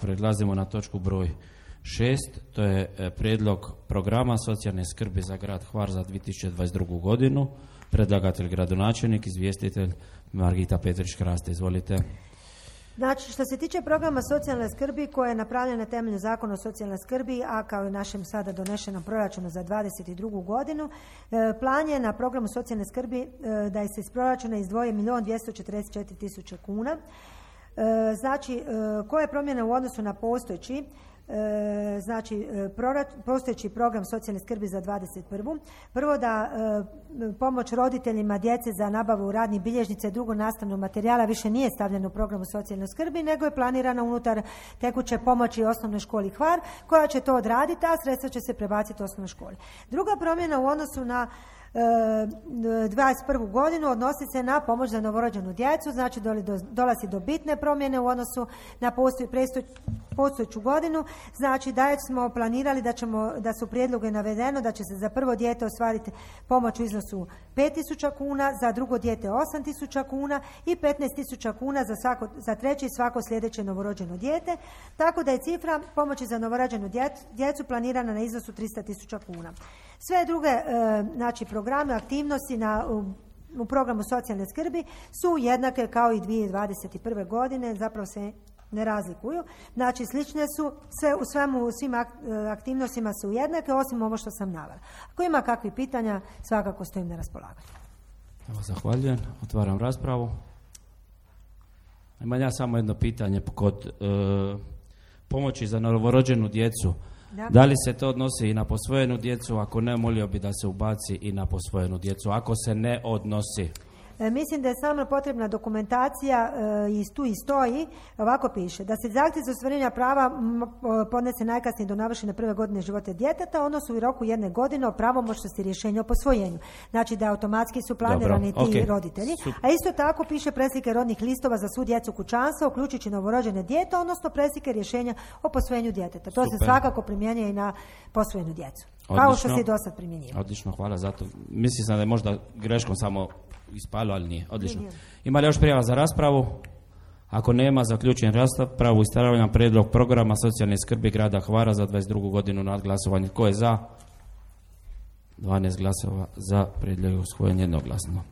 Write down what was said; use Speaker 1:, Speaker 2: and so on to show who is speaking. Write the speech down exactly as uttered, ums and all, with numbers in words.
Speaker 1: Prelazimo na točku broj šest, to je prijedlog programa socijalne skrbi za grad Hvar za dvije tisuće dvadeset drugu godinu. Predlagatelj gradonačelnik, izvjestitelj Margita Petrić-Kraste. Izvolite.
Speaker 2: Znači, što se tiče programa socijalne skrbi koji je napravljen na temelju Zakona o socijalnoj skrbi, a kao i našem sada donešenom proračunu za dvadeset drugu godinu, plan je na programu socijalne skrbi da se iz proračuna izdvoji milijun dvjesto četrdeset četiri tisuće kuna. Znači, koja je promjena u odnosu na postojeći znači postojeći program socijalne skrbi za dvadeset prvu. Prvo da pomoć roditeljima djece za nabavu radnih bilježnica i drugog nastavnog materijala više nije stavljeno u programu socijalne skrbi, nego je planirana unutar tekuće pomoći osnovnoj školi Hvar, koja će to odraditi, a sredstva će se prebaciti osnovnoj školi. Druga promjena u odnosu na dvadeset prvu godinu odnosi se na pomoć za novorođenu djecu, znači dolazi do bitne promjene u odnosu na postojeću godinu, znači da smo planirali da ćemo, da su prijedloge navedeno da će se za prvo dijete ostvariti pomoć u iznosu pet tisuća kuna, za drugo dijete osam tisuća kuna i petnaest tisuća kuna za, svako, za treće i svako sljedeće novorođeno dijete, tako da je cifra pomoći za novorođenu djecu planirana na iznosu tristo tisuća kuna. Sve druge znači programe, aktivnosti na, u, u programu socijalne skrbi su jednake kao i dvije tisuće dvadeset prve godine, zapravo se ne razlikuju. Znači slične su, sve, u svemu, u svim aktivnostima su jednake, osim ovo što sam navela. Ako ima kakvih pitanja, svakako stojim na raspolaganju.
Speaker 1: Evo, zahvaljujem. Otvaram raspravu. Imam ja samo jedno pitanje kod e, pomoći za novorođenu djecu. Da. Da li se to odnosi i na posvojenu djecu? Ako ne, molio bi da se ubaci i na posvojenu djecu. Ako se ne odnosi?
Speaker 2: E, mislim da je samo potrebna dokumentacija e, i tu i stoji, ovako piše, da se zahtjev za ostvarenje prava m, podnese najkasnije do navršene prve godine života djeteta, odnosno u roku jedne godine o pravomoćnosti rješenja o posvojenju. Znači da automatski su planirani Dobro, ti okay. roditelji. Super. A isto tako piše preslike rodnih listova za svu djecu kućanstva, uključujući novorođene dijete, odnosno preslike rješenja o posvojenju djeteta. To Super. Se svakako primjenjuje i na posvojenu djecu. Odlično. Kao što se i do sad primjenjivalo.
Speaker 1: Odlično, hvala za to. Mislim sam da je možda greškom samo ispalo, ali nije. Odlično. Ima li još prijava za raspravu? Ako nema, zaključujem raspravu i stavljam prijedlog programa socijalne skrbi grada Hvara za dvadeset drugu godinu na glasovanje. Tko je za? dvanaest glasova za, prijedlog je usvojen jednoglasno.